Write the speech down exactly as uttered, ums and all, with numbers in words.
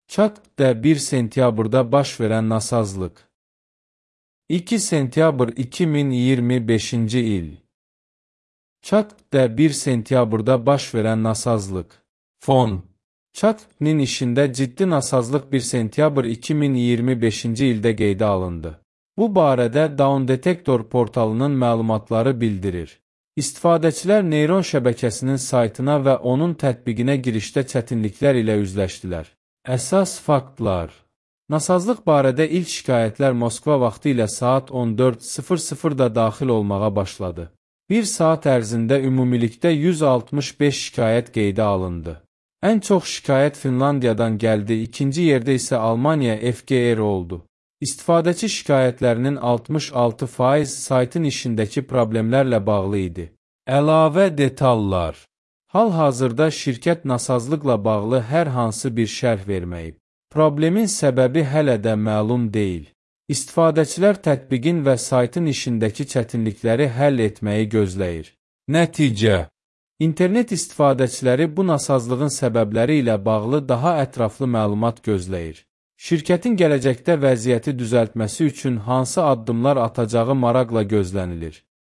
Çakda bir sentyabrda baş verən nasazlıq. iki sentyabr iki min iyirmi beşinci il. Çakda bir sentyabrda baş verən nasazlıq. Fon. Çak'nin işində ciddi nasazlıq bir sentyabr iki min iyirmi beşinci ildə qeydə alındı. Bu barədə Down Detector portalının məlumatları bildirir. İstifadəçilər neyron şəbəkəsinin saytına və onun tətbiqinə girişdə çətinliklər ilə üzləşdilər. Əsas faktlar. Nasazlıq barədə ilk şikayətlər Moskva vaxtı ilə saat on dörd sıfır sıfırda daxil olmağa başladı. Bir saat ərzində ümumilikdə yüz altmış beş şikayət qeydə alındı. Ən çox şikayət Finlandiyadan gəldi, ikinci yerdə isə Almaniya F G R oldu. İstifadəçi şikayətlərinin altmış altı faiz saytın işindəki problemlərlə bağlı idi. Əlavə detallar. Hal-hazırda şirkət nasazlıqla bağlı hər hansı bir şərh verməyib. Problemin səbəbi hələ də məlum deyil. İstifadəçilər tətbiqin və saytın işindəki çətinlikləri həll etməyi gözləyir. Nəticə. İnternet istifadəçiləri bu nasazlığın səbəbləri ilə bağlı daha ətraflı məlumat gözləyir. Şirkətin gələcəkdə vəziyyəti düzəltməsi üçün hansı addımlar atacağı maraqla gözlənilir.